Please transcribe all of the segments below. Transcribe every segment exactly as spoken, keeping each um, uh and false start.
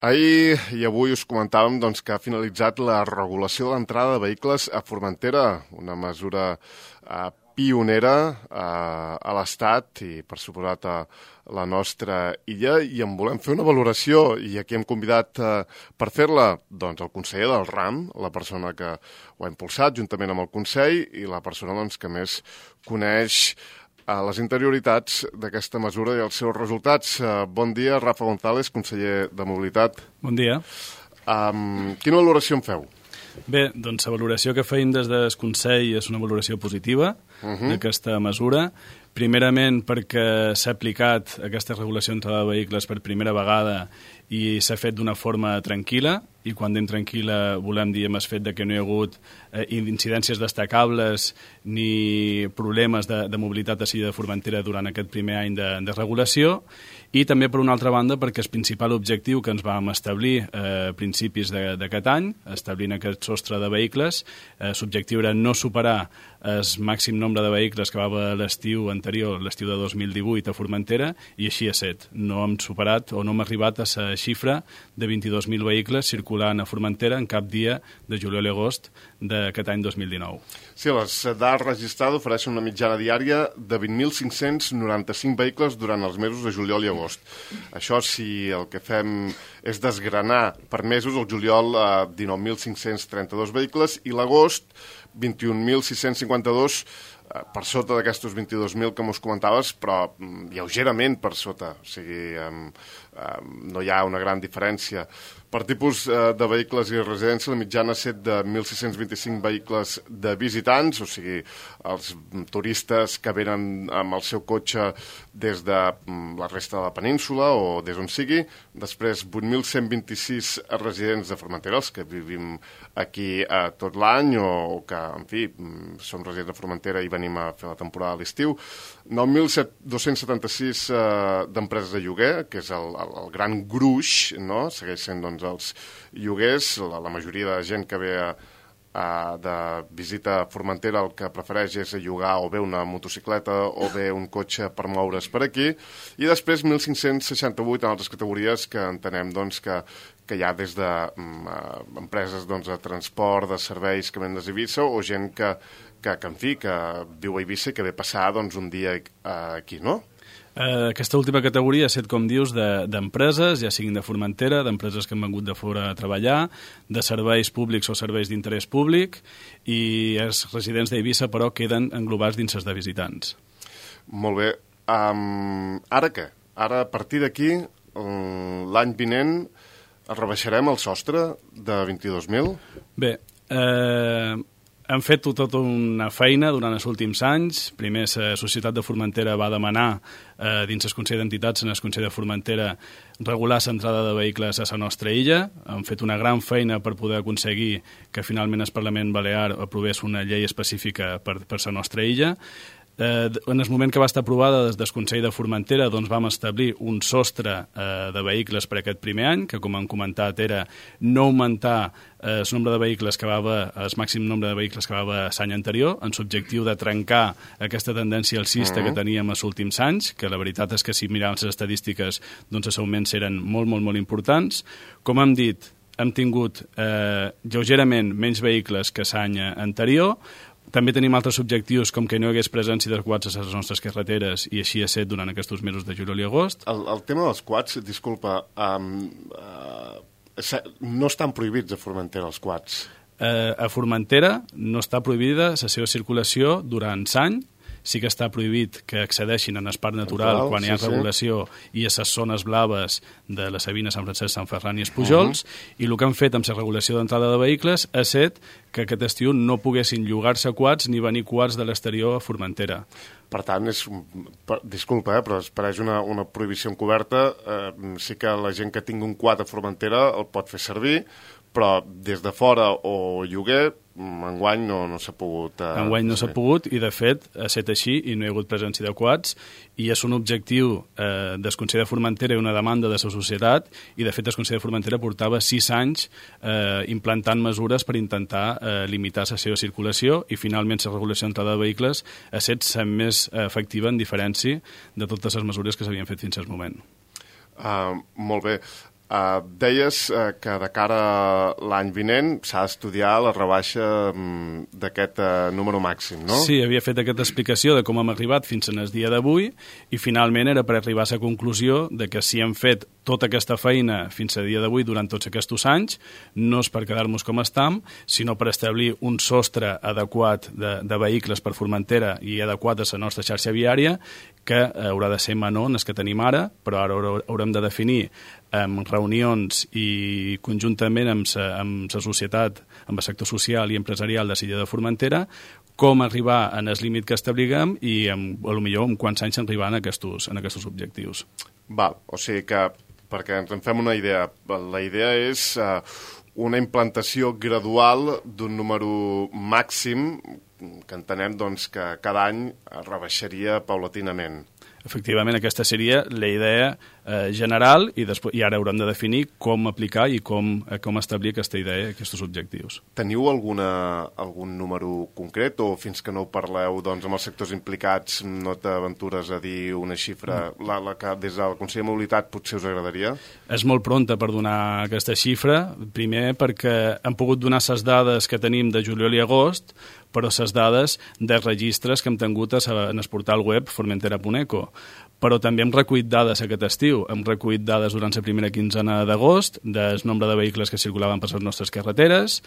Ahir i avui us comentàvem doncs, que ha finalitzat la regulació de l'entrada de vehicles a Formentera, una mesura eh, pionera eh, a l'Estat i, per suposat, a la nostra illa, i en volem fer una valoració, i aquí hem convidat eh, per fer-la doncs, el conseller del RAM, la persona que ho ha impulsat juntament amb el Consell i la persona doncs, que més coneix a les interioritats d'aquesta mesura i els seus resultats. Uh, bon dia, Rafa González, conseller de Mobilitat. Bon dia. Um, quina valoració en feu? Bé, doncs la valoració que feim des del Consell és una valoració positiva uh-huh. d'aquesta mesura. Primerament perquè s'ha aplicat aquesta regulació d'entrada de vehicles per primera vegada i s'ha fet d'una forma tranquil·la, i quan diem tranquil·la volem dir amb el fet de que no hi ha hagut eh, incidències destacables ni problemes de, de mobilitat a Silla de Formentera durant aquest primer any de, de regulació, i també per una altra banda perquè el principal objectiu que ens vam establir eh, a principis d'aquest any, establint aquest sostre de vehicles, eh, l'objectiu era no superar el màxim nombre de vehicles que va haver l'estiu anterior, l'estiu de dos mil divuit a Formentera, i així ha estat. No hem superat o no hem arribat a la xifra de vint-i-dos mil vehicles circulant a Formentera en cap dia de juliol i agost d'aquest any dos mil dinou. Sí, les dades registrades ofereixen una mitjana diària de vint mil cinc-cents noranta-cinc vehicles durant els mesos de juliol i agost. Això, si el que fem és desgranar per mesos, el juliol eh, dinou mil cinc-cents trenta-dos vehicles i l'agost vint-i-un mil sis-cents cinquanta-dos, eh, per sota d'aquestos vint-i-dos mil que mos comentaves, però mm, lleugerament per sota, o sigui, eh, eh, no hi ha una gran diferència. Per tipus eh, de vehicles i residència, la mitjana ha estat de mil sis-cents vint-i-cinc vehicles de visitants, o sigui, els turistes que venen amb el seu cotxe des de mm, la resta de la península o des on sigui. Després, vuit mil cent vint-i-sis residents de Formentera, els que vivim aquí eh, tot l'any o, o que, en fi, mm, som residents de Formentera i venim a fer la temporada a l'estiu. nou mil dos-cents setanta-sis eh, d'empreses de lloguer, que és el, el, el gran gruix, no? Segueix sent, doncs, els lloguers. La, la majoria de gent que ve a, a, de visita a Formentera el que prefereix és llogar o bé una motocicleta o bé un cotxe per moure's per aquí, i després mil cinc-cents seixanta-vuit en altres categories que entenem doncs, que, que hi ha des de um, uh, empreses doncs, de transport, de serveis que venen des d'Eivissa, o gent que, que, que, en fi, que viu a Eivissa i que ve passar doncs, un dia uh, aquí, no? Uh, aquesta última categoria ha estat, com dius, d'empreses, de, ja siguin de Formentera, d'empreses que han vengut de fora a treballar, de serveis públics o serveis d'interès públic, i els residents d'Eivissa, però, queden englobats dins els de visitants. Molt bé. Um, ara què? Ara, a partir d'aquí, l'any vinent, rebaixarem el sostre de vint-i-dos mil? Bé, eh... hem fet tota una feina durant els últims anys. Primer, la Societat de Formentera va demanar, eh, dins el Consell d'Entitats, en el Consell de Formentera, regular l'entrada de vehicles a la nostra illa. Hem fet una gran feina per poder aconseguir que finalment el Parlament Balear aprovés una llei específica per, per la nostra illa. Eh, en el moment que va estar aprovada des del Consell de Formentera, doncs vam establir un sostre eh, de vehicles per aquest primer any, que, com hem comentat, era no augmentar eh, el nombre de vehicles que va haver, el màxim nombre de vehicles que va haver l'any anterior, en l'objectiu de trencar aquesta tendència alcista uh-huh. que teníem els últims anys, que la veritat és que si miràvem les estadístiques, doncs els augments eren molt, molt, molt importants. Com hem dit, hem tingut eh, lleugerament menys vehicles que l'any anterior. També tenim altres objectius, com que no hi hagués presència de quads a les nostres carreteres, i així ha estat durant aquests mesos de juliol i agost. El, el tema dels quads, disculpa, um, uh, no estan prohibits a Formentera els quads? Uh, a Formentera no està prohibida la seva circulació durant l'any. Sí que està prohibit que accedeixin en el parc natural Natural, quan hi ha sí, regulació sí. i a les zones blaves de la Sabina, Sant Francesc, Sant Ferran i els Pujols, uh-huh. i el que han fet amb la regulació d'entrada de vehicles ha estat que aquest estiu no poguessin llogar-se quads ni venir quads de l'exterior a Formentera. Per tant, és, per, disculpa, eh, però es pareix una, una prohibició encoberta. Eh, sí que la gent que tingui un quad a Formentera el pot fer servir, però des de fora o lloguer, enguany no, no s'ha pogut... Eh, enguany no s'ha pogut, i de fet ha estat així i no hi ha hagut presència de quads, i és un objectiu eh, del Consell de Formentera i una demanda de la societat, i de fet el Consell de Formentera portava sis anys eh, implantant mesures per intentar eh, limitar la seva circulació, i finalment la regulació d'entrada de vehicles ha estat la més efectiva en diferència de totes les mesures que s'havien fet fins al moment. Uh, molt bé. Uh, deies uh, que de cara a l'any vinent s'ha d'estudiar la rebaixa um, d'aquest uh, número màxim, no? Sí, havia fet aquesta explicació de com hem arribat fins en el dia d'avui i finalment era per arribar a la conclusió de que si hem fet tota aquesta feina fins a dia d'avui durant tots aquests anys, no és per quedar-nos com estam, sinó per establir un sostre adequat de, de vehicles per Formentera i adequat a la nostra xarxa viària que haurà de ser menor en el que tenim ara, però ara haurem de definir amb reunions i conjuntament amb la, amb la societat, amb el sector social i empresarial de l'illa de Formentera, com arribar en el límit que establiguem i amb, a lo millor en quants anys arribar en aquests, en aquests objectius. Val, o sigui que, perquè ens en fem una idea, la idea és uh, una implantació gradual d'un número màxim que entenem doncs, que cada any rebaixaria paulatinament. Efectivament, aquesta seria la idea eh, general i, després, i ara haurem de definir com aplicar i com, eh, com establir aquesta idea, aquests objectius. Teniu alguna, algun número concret o fins que no ho parleu doncs, amb els sectors implicats no t'aventures a dir una xifra mm. la, la que des del Consell de Mobilitat potser us agradaria? És molt pronta per donar aquesta xifra, primer perquè hem pogut donar les dades que tenim de juliol i agost, però les dades de registres que hem tingut en el portal web formentera punt eco. Però també hem recollit dades aquest estiu. Hem recollit dades durant la primera quinzena d'agost del nombre de vehicles que circulaven per les nostres carreteres,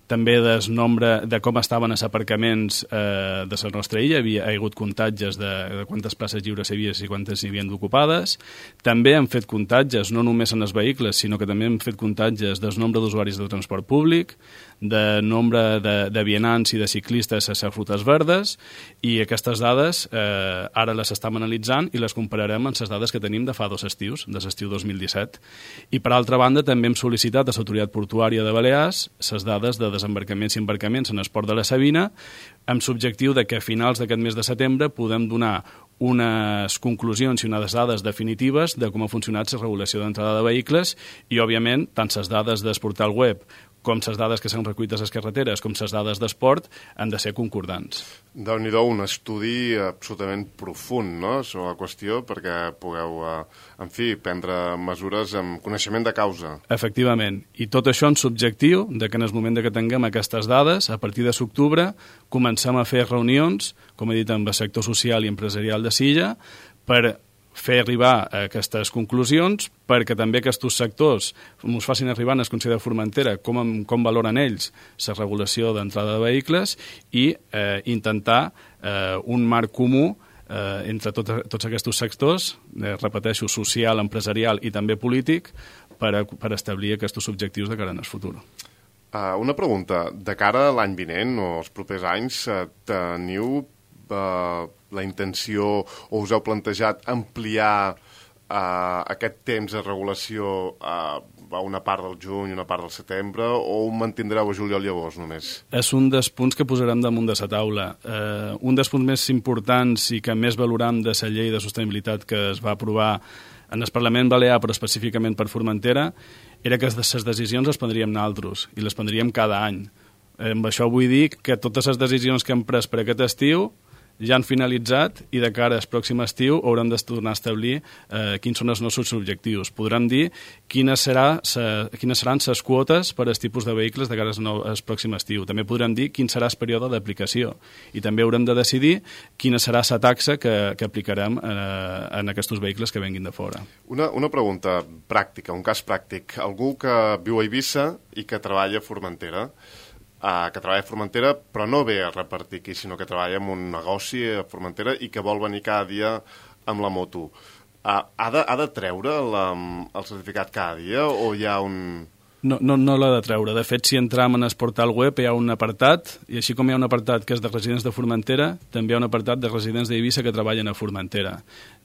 també del nombre de com estaven els aparcaments eh, de la nostra illa. Hi ha hagut comptatges de, de quantes places lliures hi havia i quantes hi havien d'ocupades. També hem fet comptatges, no només en els vehicles, sinó que també hem fet comptatges del nombre d'usuaris de transport públic, de nombre de, de vianants i de ciclistes a les rutes verdes, i aquestes dades eh, ara les estem analitzant i les compararem amb les dades que tenim de fa dos estius, de l'estiu dos mil disset. I per altra banda també hem sol·licitat a l'Autoritat Portuària de Balears les dades de desembarcaments i embarcaments en el port de la Sabina, amb l'objectiu de que a finals d'aquest mes de setembre podem donar unes conclusions i unes dades definitives de com ha funcionat la regulació d'entrada de vehicles i, òbviament, tant les dades del portal web com les dades que s'han recollit a les carreteres, com les dades d'esport, han de ser concordants. Déu-n'hi-do, un estudi absolutament profund, no?, sobre la qüestió, perquè pugueu, eh, en fi, prendre mesures amb coneixement de causa. Efectivament, i tot això en subjectiu de que en el moment que tinguem aquestes dades, a partir de l'octubre, comencem a fer reunions, com he dit, amb el sector social i empresarial de Silla, per fer arribar a aquestes conclusions perquè també aquests sectors ens facin arribar en el Consell de Formentera com, com valoren ells la regulació d'entrada de vehicles i eh, intentar eh, un marc comú eh, entre tot, tots aquests sectors, eh, repeteixo, social, empresarial i també polític, per, a, per establir aquests objectius de cara en el futur. Uh, una pregunta. De cara a l'any vinent o els propers anys, uh, teniu Uh, la intenció o us heu plantejat ampliar uh, aquest temps de regulació uh, a una part del juny, una part del setembre, o ho mantindreu a juliol i agost només? És un dels punts que posarem damunt de la taula. Uh, un dels punts més importants i que més valoram de la llei de sostenibilitat que es va aprovar en el Parlament Balear, però específicament per Formentera, era que les decisions les prendríem nosaltres i les prendríem cada any. Amb això vull dir que totes les decisions que hem pres per aquest estiu ja han finalitzat i de cara al pròxim estiu haurem de tornar a establir eh, quins són els nostres objectius. Podrem dir quines, serà sa, quines seran les quotes per als tipus de vehicles de cara al pròxim estiu. També podrem dir quin serà el període d'aplicació i també haurem de decidir quina serà la taxa que, que aplicarem eh, en aquests vehicles que venguin de fora. Una, una pregunta pràctica, un cas pràctic. Algú que viu a Eivissa i que treballa a Formentera, Uh, que treballa a Formentera, però no ve a repartir aquí, sinó que treballa en un negoci a Formentera i que vol venir cada dia amb la moto. Uh, ha, de, ha de treure la, el certificat cada dia o hi ha un... No, no, no l'ha de treure. De fet, si entram en el portal web hi ha un apartat, i així com hi ha un apartat que és de residents de Formentera, també hi ha un apartat de residents d'Eivissa que treballen a Formentera.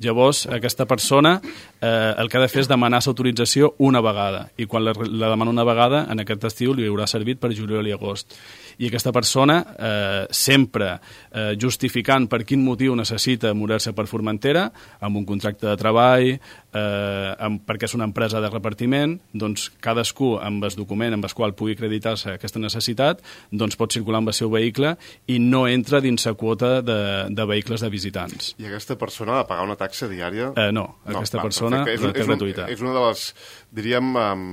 Llavors, aquesta persona eh, el que ha de fer és demanar l'autorització una vegada, i quan la, la demana una vegada, en aquest estiu li haurà servit per juliol i agost. I aquesta persona, eh, sempre eh, justificant per quin motiu necessita moure-se per Formentera, amb un contracte de treball, eh, amb, perquè és una empresa de repartiment, doncs cadascú amb el document amb el qual pugui acreditar-se aquesta necessitat doncs pot circular amb el seu vehicle i no entra dins la quota de, de vehicles de visitants. I aquesta persona ha de pagar una taxa diària? Eh, no, aquesta no, persona és, la té és gratuïta. Un, és una de les, diríem, um,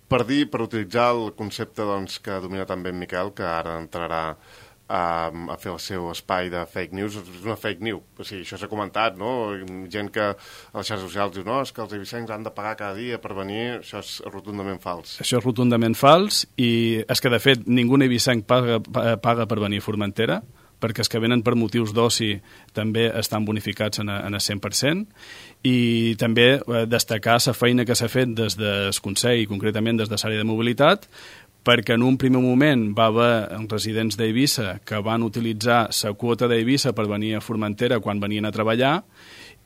per dir, per utilitzar el concepte doncs, que domina també en Miquel, que ara entrarà a, a fer el seu espai de fake news, és una fake news. O sigui, això s'ha comentat, no? Gent que a les xarxes socials diu no, és que els eivissencs han de pagar cada dia per venir, això és rotundament fals. Això és rotundament fals i és que, de fet, ningú eivissenc paga, paga per venir a Formentera, perquè els que venen per motius d'oci també estan bonificats en el cent per cent, i també destacar la feina que s'ha fet des del Consell, concretament des de l'àrea de mobilitat, perquè en un primer moment va haver residents d'Eivissa que van utilitzar la quota d'Eivissa per venir a Formentera quan venien a treballar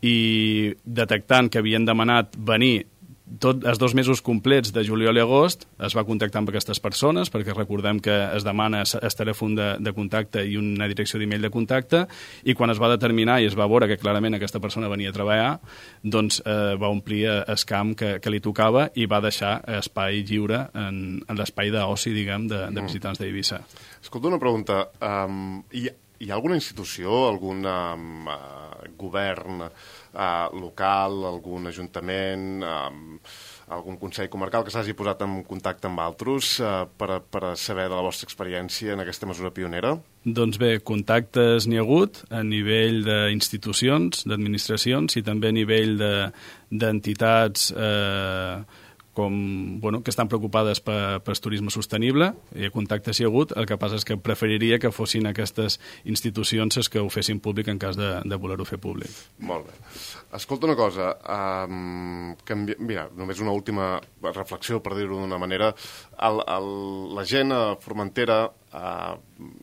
i detectant que havien demanat venir tots els dos mesos complets de juliol i agost es va contactar amb aquestes persones perquè recordem que es demana el telèfon de, de contacte i una direcció d'email de contacte i quan es va determinar i es va veure que clarament aquesta persona venia a treballar doncs eh, va omplir el camp que, que li tocava i va deixar espai lliure en, en l'espai d'oci, diguem, de, de visitants d'Eivissa. Escolta, una pregunta. Um, hi, hi ha alguna institució, algun um, uh, govern Uh, local, algun ajuntament, uh, algun consell comarcal que s'hagi posat en contacte amb altres uh, per, per saber de la vostra experiència en aquesta mesura pionera? Doncs bé, contactes n'hi ha hagut a nivell d'institucions, d'administracions i també a nivell d'entitats de, eh, com, bueno, que estan preocupades per, per turisme sostenible, i contactes hi ha hagut, el que passa és que preferiria que fossin aquestes institucions les que ho fessin públic en cas de, de voler-ho fer públic. Molt bé. Escolta una cosa, um, canvi... mira, només una última reflexió, per dir-ho d'una manera. El, el, la gent a Formentera, uh,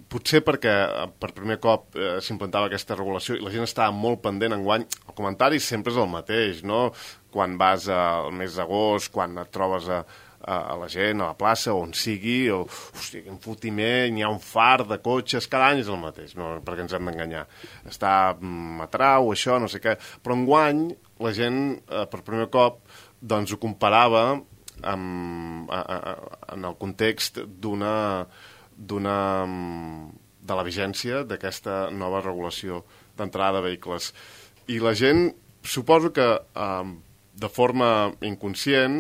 potser perquè per primer cop uh, s'implantava aquesta regulació i la gent estava molt pendent enguany, el comentari sempre és el mateix, no? Quan vas al mes d'agost, quan et trobes a, a, a la gent, a la plaça, on sigui, o, hosti, quin fotiment, hi ha un far de cotxes, cada any és el mateix, no, perquè ens hem d'enganyar. Està mm, a trau, això, no sé què. Però enguany la gent, eh, per primer cop, doncs ho comparava amb, a, a, en el context d'una d'una de la vigència d'aquesta nova regulació d'entrada de vehicles. I la gent, suposo que eh, de forma inconscient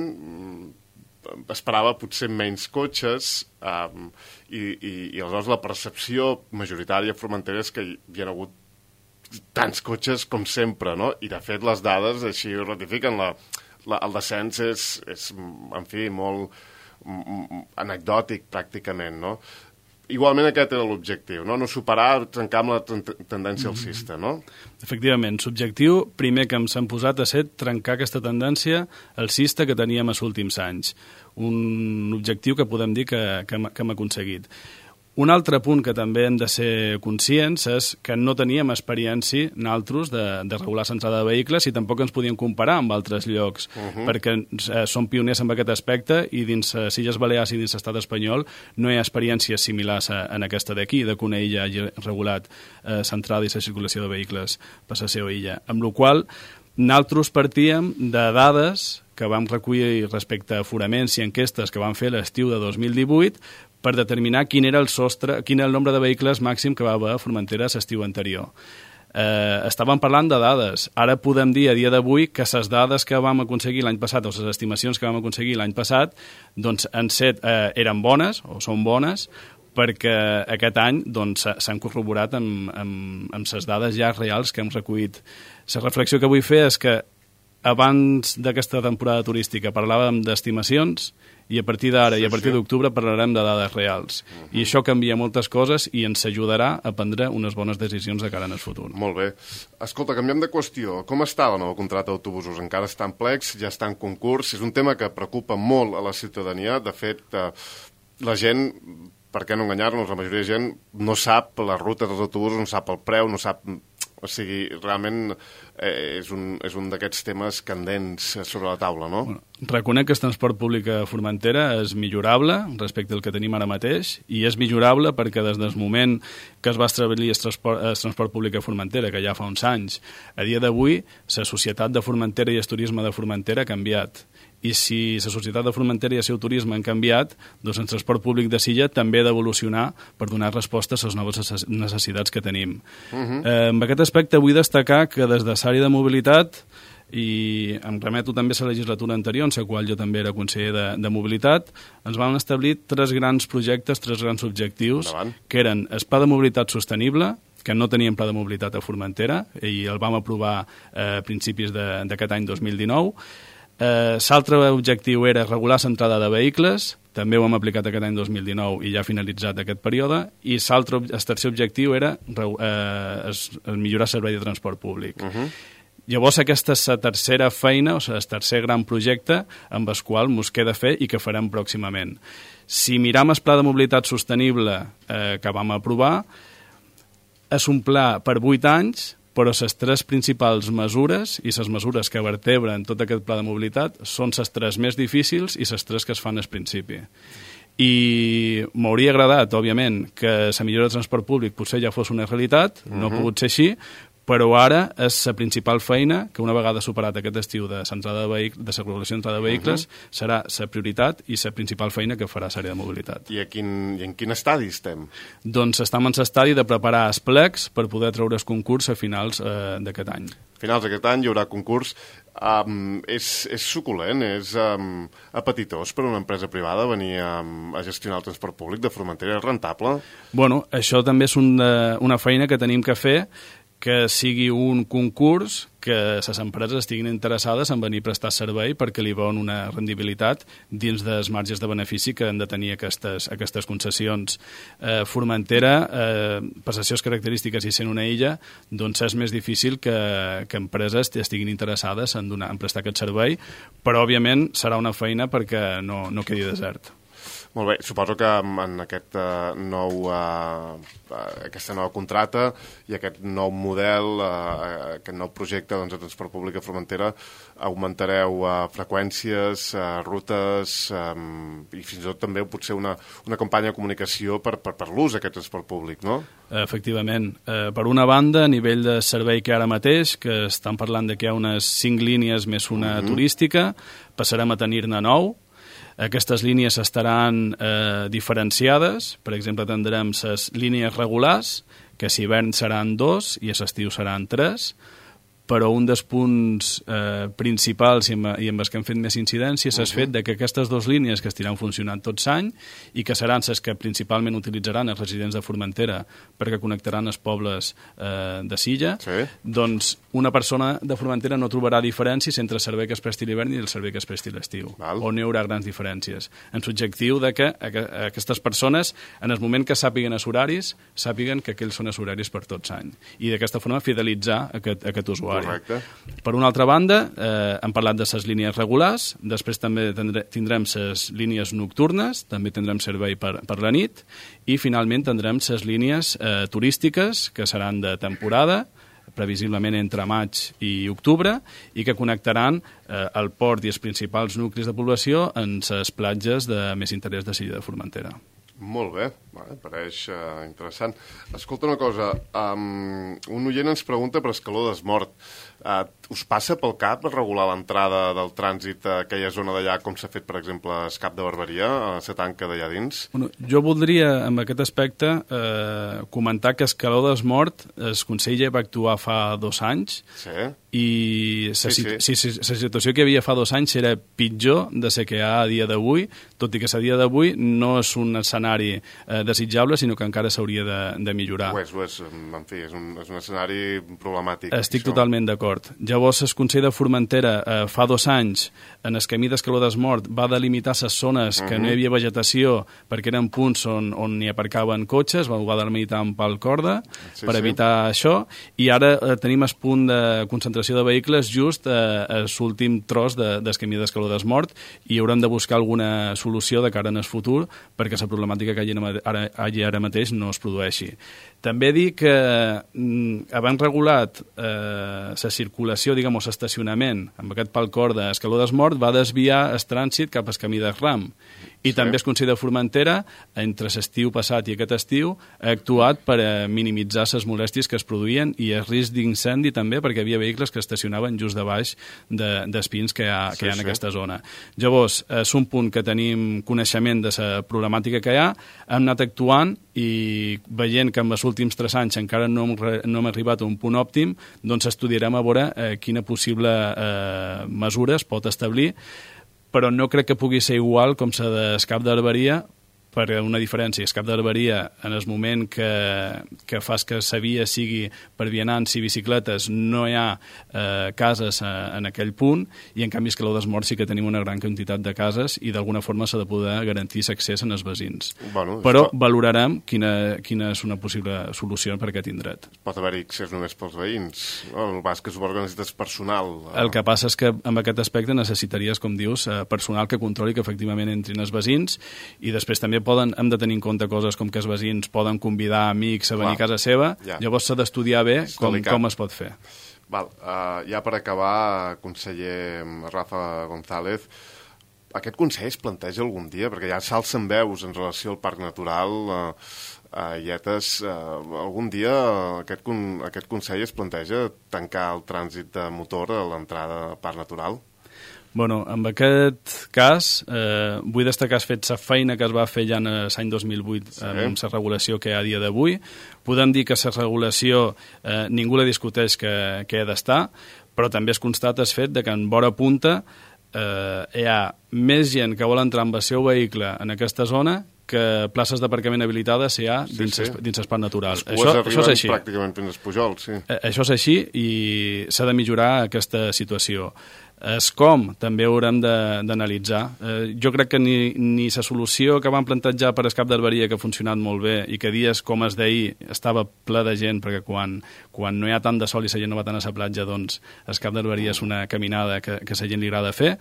esperava potser menys cotxes um, i, i, i aleshores la percepció majoritària a Formentera és que hi ha hagut tants cotxes com sempre, no? I de fet les dades així ho ratifiquen. La, la, el descens és, és, en fi, molt anecdòtic pràcticament, no? Igualment aquest era l'objectiu, no? No superar, trencar amb la tendència alcista, no? Efectivament, l'objectiu primer que ens han posat a ser trencar aquesta tendència alcista que teníem els últims anys. Un objectiu que podem dir que, que, que hem aconseguit. Un altre punt que també hem de ser conscients és que no teníem experiència nosaltres de, de regular l'entrada de vehicles i tampoc ens podíem comparar amb altres llocs, uh-huh. perquè eh, som pioners en aquest aspecte i dins les Illes Balears i dins l'estat espanyol no hi ha experiències similars a, en aquesta d'aquí, de que una illa hagi regulat eh, l'entrada i la circulació de vehicles per la seva illa. Amb la qual nosaltres partíem de dades que vam recollir respecte a aforaments i enquestes que vam fer l'estiu de dos mil divuit per determinar quin era el sostre, quin era el nombre de vehicles màxim que va haver a Formentera l'estiu anterior. Eh, estàvem parlant de dades. Ara podem dir a dia d'avui que les dades que vam aconseguir l'any passat o les estimacions que vam aconseguir l'any passat doncs, en set, eh, eren bones o són bones perquè aquest any doncs, s'han corroborat amb, amb, amb les dades ja reals que hem recollit. La reflexió que vull fer és que abans d'aquesta temporada turística parlàvem d'estimacions i a partir d'ara sí, i a partir sí. d'octubre parlarem de dades reals. Uh-huh. I això canvia moltes coses i ens ajudarà a prendre unes bones decisions de cara en el futur. Molt bé. Escolta, canviem de qüestió. Com està la nova contracta d'autobusos? Encara està en plecs? Ja està en concurs? És un tema que preocupa molt a la ciutadania. De fet, eh, la gent, per què no enganyar-nos, la majoria de gent no sap les rutes dels autobusos, no sap el preu, no sap O sigui, realment eh, és un, és un d'aquests temes candents sobre la taula, no? Bueno, reconec que el transport públic a Formentera és millorable respecte al que tenim ara mateix, i és millorable perquè des del moment que es va establir el transport, el transport públic a Formentera, que ja fa uns anys, a dia d'avui, la societat de Formentera i el turisme de Formentera ha canviat. I si la societat de Formentera i el seu turisme han canviat, doncs el transport públic de Silla també ha d'evolucionar per donar respostes a les noves necessitats que tenim. Uh-huh. eh, en aquest aspecte vull destacar que des de l'àrea de mobilitat, i em remeto també a la legislatura anterior, en la qual jo també era conseller de, de mobilitat, ens van establir tres grans projectes, tres grans objectius, Endavant. Que eren el Pla de Mobilitat Sostenible, que no teníem pla de mobilitat a Formentera, i el vam aprovar eh, a principis d'aquest any dos mil dinou. Eh, L'altre objectiu era regular l'entrada de vehicles, també ho hem aplicat aquest any dos mil dinou i ja ha finalitzat aquest període, i l'altre, el tercer objectiu era eh, es, millorar el servei de transport públic. Uh-huh. Llavors aquesta és la tercera feina, o sigui, el tercer gran projecte amb el qual ens queda fer i que farem pròximament. Si miram el pla de mobilitat sostenible eh, que vam aprovar, és un pla per vuit anys, però les tres principals mesures i les mesures que vertebren tot aquest pla de mobilitat són les tres més difícils i les tres que es fan al principi. I m'hauria agradat, òbviament, que la millora del transport públic potser ja fos una realitat, no ha pogut ser així, però ara és la principal feina que una vegada superat aquest estiu de l'entrada de vehicles, de la regulació d'entrada de vehicles, uh-huh. serà la prioritat i la principal feina que farà l'àrea de mobilitat. I, a quin, I en quin estadi estem? Doncs estem en l'estadi de preparar els plecs per poder treure el concurs a finals eh, d'aquest any. A finals d'aquest any hi haurà concurs. Um, és, és suculent, és um, apetitós per una empresa privada venir um, a gestionar el transport públic de Formentera, és rentable? Bueno, això també és una, una feina que tenim que fer, que sigui un concurs que les empreses estiguin interessades en venir a prestar servei perquè li veuen una rendibilitat dins dels marges de benefici que han de tenir aquestes, aquestes concessions. Eh, Formentera, eh, per les seves característiques i sent una illa, doncs és més difícil que, que empreses estiguin interessades en, donar, en prestar aquest servei, però òbviament serà una feina perquè no, no quedi desert. Molt bé, suposo que en aquest uh, nou, uh, aquesta nova contrata i aquest nou model, uh, aquest nou projecte doncs, de transport públic a Formentera, augmentareu uh, freqüències, uh, rutes um, i fins i tot també potser una, una campanya de comunicació per, per, per l'ús d'aquest transport públic, no? Efectivament. Eh, per una banda, a nivell de servei que ara mateix, que estan parlant de que hi ha unes cinc línies més una mm-hmm. turística, passarem a tenir-ne nou. Aquestes línies estaran eh, diferenciades. Per exemple, tindrem les línies regulars, que si hivern seran dos i a l'estiu seran tres, però un dels punts eh, principals i amb, i amb els que hem fet més incidència és el fet de que aquestes dues línies que estiran funcionant tots l'any i que seran les que principalment utilitzaran els residents de Formentera perquè connectaran els pobles eh, de Silla, sí. Doncs una persona de Formentera no trobarà diferències entre el servei que es presti l'hivern i el servei que es presti l'estiu, on hi haurà grans diferències. En l'objectiu de que aquestes persones, en el moment que sàpiguen els horaris, sàpiguen que aquells són els horaris per tots l'any. I d'aquesta forma fidelitzar aquest, aquest usuari. Correcte. Per una altra banda, eh, hem parlat de les línies regulars, després també tindrem les línies nocturnes, també tindrem servei per, per la nit, i finalment tindrem les línies eh, turístiques, que seran de temporada, previsiblement entre maig i octubre, i que connectaran eh, el port i els principals nuclis de població en les platges de més interès de Silla de Formentera. Molt bé, vale, pareix uh, interessant. Escolta una cosa, um, un oient ens pregunta per Escaló d'Esmort. Uh, us passa pel cap regular l'entrada del trànsit a aquella zona d'allà com s'ha fet, per exemple, a Escap de Barberia, a la tanca d'allà dins? Bueno, jo voldria, en aquest aspecte, eh, comentar que Escaló d'Esmort, el Consell ja va actuar fa dos anys, sí. i la sí, sí. sí, sí, situació que hi havia fa dos anys era pitjor de la que hi ha a dia d'avui, tot i que a dia d'avui no és un escenari eh, desitjable, sinó que encara s'hauria de, de millorar. Ho és, ho és, en fi, és un, és un escenari problemàtic. Estic això. Totalment d'acord. Llavors, el Consell de Formentera eh, fa dos anys, en el camí d'Escaló d'Esmort, va delimitar les zones que uh-huh. no hi havia vegetació perquè eren punts on, on hi aparcaven cotxes, va, va delimitar amb pal corda sí, per evitar sí. això, i ara eh, tenim el punt de concentració de vehicles just eh, a l'últim tros de, del camí d'Escaló d'Esmort, i haurem de buscar alguna solució de cara en el futur perquè la problemàtica que hi ha ara, ara mateix no es produeixi. També dir que mm, havent regulat eh, la circulació, diguem, o l'estacionament amb aquest palcor d'Escaló d'Esmort, va desviar el trànsit cap al camí de Ram. I sí. També el Consell de Formentera, entre l'estiu passat i aquest estiu, ha actuat per a minimitzar les molèsties que es produïen i el risc d'incendi també, perquè hi havia vehicles que estacionaven just de baix de, d'espins que hi ha, que sí, hi ha en sí. aquesta zona. Llavors, és un punt que tenim coneixement de la problemàtica que hi ha, hem anat actuant i veient que en els últims tres anys encara no hem, no hem arribat a un punt òptim, doncs estudiarem a veure eh, quina possible eh, mesura es pot establir, però no crec que pugui ser igual com la d'escap d'herberia, per una diferència. Escap d'herberia, en el moment que, que fas que la via sigui per vianants i bicicletes, no hi ha eh, cases a, en aquell punt, i en canvi Escaló d'Esmort sí que tenim una gran quantitat de cases i d'alguna forma s'ha de poder garantir l'accés en els veïns. Bueno, però pot... valorarem quina, quina és una possible solució per aquest indret. Pot haver-hi accés només pels veïns. No, el bàsquet que suposo que necessites personal. El que passa és que amb aquest aspecte necessitaries, com dius, personal que controli que efectivament entrin els veïns, i després també poden, hem de tenir en compte coses com que els veïns poden convidar amics a venir Clar, a casa seva, ja. Llavors s'ha d'estudiar bé com, com es pot fer. Val, uh, ja per acabar, conseller Rafa González, aquest consell es planteja algun dia, perquè ja s'alcen veus en relació al Parc Natural, uh, uh, Ietes, uh, algun dia aquest, con aquest consell es planteja tancar el trànsit de motor a l'entrada al Parc Natural? Bueno, en aquest cas, eh, vull destacar fet la feina que es va fer ja en l'any dos mil vuit sí. amb la regulació que hi ha a dia d'avui. Podem dir que la regulació eh, ningú la discuteix que, que ha d'estar, però també es constata el fet de que en vora punta eh, hi ha més gent que vol entrar amb el seu vehicle en aquesta zona que places d'aparcament habilitades hi ha dins, sí, sí. dins el parc natural. Les cues això, això és així. Pràcticament fins als pujols, sí. Eh, això és així i s'ha de millorar aquesta situació. És com també haurem d'analitzar. Eh, jo crec que ni, ni la solució que van plantejar per Escap d'Herberia, que ha funcionat molt bé i que dies com es d'ahir estava ple de gent, perquè quan, quan no hi ha tant de sol i la gent no va tant a la platja, doncs Escap d'Herberia és una caminada que, que a la gent li agrada fer.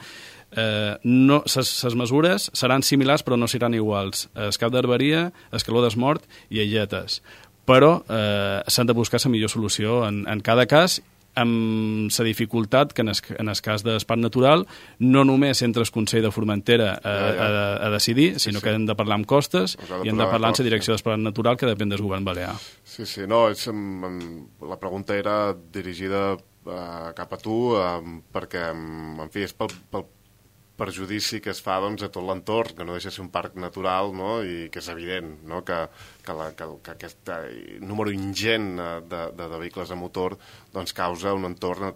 Eh, no, les mesures seran similars però no seran iguals. Escap d'Herberia, Escaló d'Esmort i Illetes. Però eh, s'han de buscar la millor solució en, en cada cas, amb la dificultat que en el, en el cas d'Espat Natural no només entra el Consell de Formentera a, ja, ja. a, a decidir, sí, sinó sí. que hem de parlar amb costes i hem de parlar amb la direcció d'Espat Natural, que depèn del govern balear. Sí, sí, no, és, la pregunta era dirigida uh, cap a tu uh, perquè, en fi, és pel, pel perjudici que es fa doncs, a tot l'entorn, que no deixa ser un parc natural, no? I que és evident, no? que, que, la, que, que aquest número ingent de, de, de vehicles a motor doncs, causa un entorn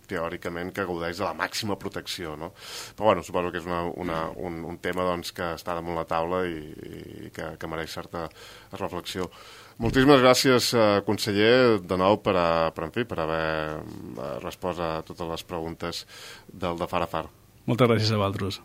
teòricament que gaudeix de la màxima protecció. No? Però bueno, suposo que és una, una, un, un tema doncs, que està damunt la taula i, i que, que mereix certa reflexió. Moltíssimes gràcies, conseller, de nou per, a, per, en fi, per haver respost a totes les preguntes del de Far a Far. Moltes gràcies a vosaltres.